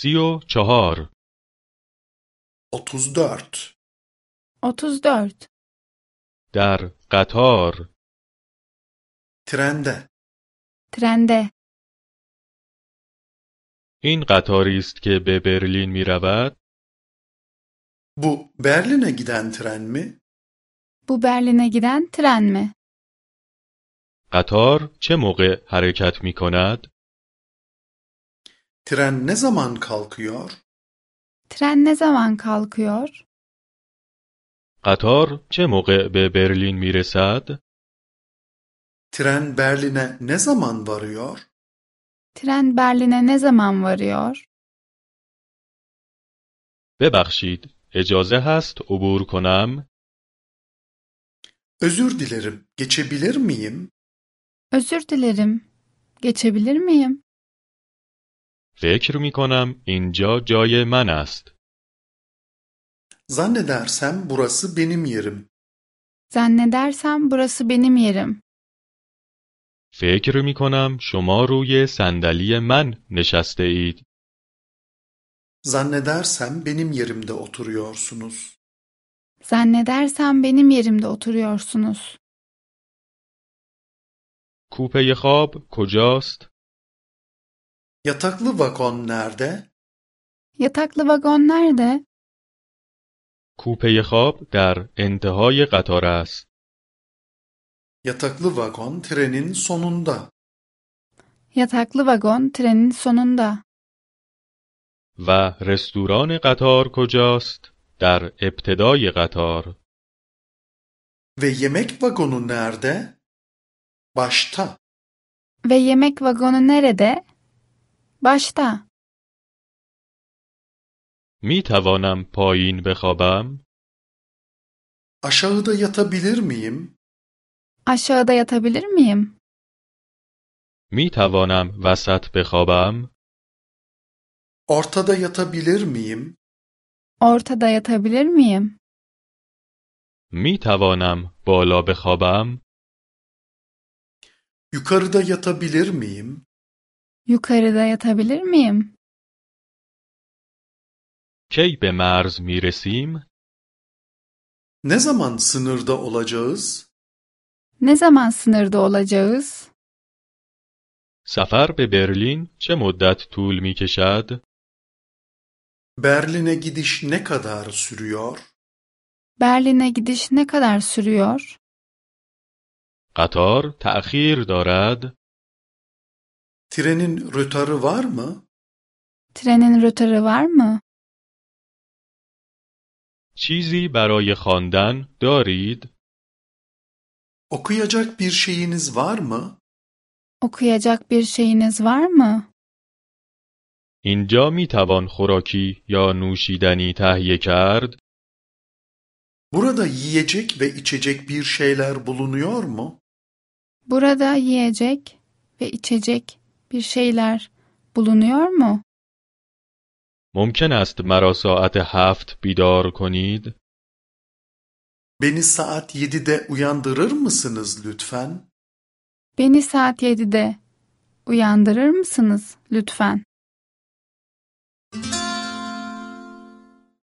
34 34 34. در قطار trende Trende. این قطاری است که به برلین می رود؟ Bu Berlin'e giden tren mi? Bu Berlin'e giden tren mi? قطار چه موقع حرکت می کند؟ Tren ne zaman kalkıyor? Tren ne zaman kalkıyor? قطار چه موقع به برلین می رسد؟ Tren Berlin'e ne zaman varıyor? Tren Berlin'e ne zaman varıyor? ببخشید، اجازه هست عبور کنم؟ Özür dilerim, geçebilir miyim? Özür dilerim. Geçebilir miyim? فکر می کنم اینجا جای من است. Zannedersem burası benim yerim. Zannedersem burası benim yerim. فکر می کنم شما روی صندلی من نشسته اید. Zannedersem benim yerimde oturuyorsunuz. Zannedersem benim yerimde oturuyorsunuz. کوپه خواب کجاست؟ Yataklı vagon nerede? Yataklı vagon nerede? کوپه خواب در انتهای قطار است. Yataklı vagon trenin sonunda. Yataklı vagon trenin sonunda. و رستوران قطار کجاست؟ در ابتدای قطار. Ve yemek vagonu nerede? Başta. Ve yemek vagonu nerede? Başta. می توانم پایین بخوابم؟ Aşağıda yatabilir miyim? Aşağıda yatabilir miyim? می توانم وسط بخوابم؟ Ortada yatabilir miyim? Ortada yatabilir miyim? می توانم بالا بخوابم؟ Yukarıda yatabilir miyim? Yukarıda yatabilir miyim? کی به مرز می رسیم؟ Ne zaman sınırda olacağız? Ne zaman sınırda olacağız? سفر به برلین چه مدت طول می کشد؟ Berlin'e gidiş ne kadar sürüyor? Berlin'e gidiş ne kadar sürüyor? قطار تأخیر دارد؟ Trenin rötarı var mı? Trenin rötarı var mı? چیزی برای خواندن دارید؟ Okuyacak bir şeyiniz var mı? Okuyacak bir şeyiniz var mı? اینجا می توان خوراکی یا نوشیدنی تهیه کرد؟ Burada yiyecek ve içecek bir şeyler bulunuyor mu? Burada yiyecek ve içecek bir şeyler bulunuyor mu? ممکن است مرا ساعت 7 بیدار کنید؟ Beni saat 7'de uyandırır mısınız lütfen? Beni saat 7'de uyandırır mısınız lütfen?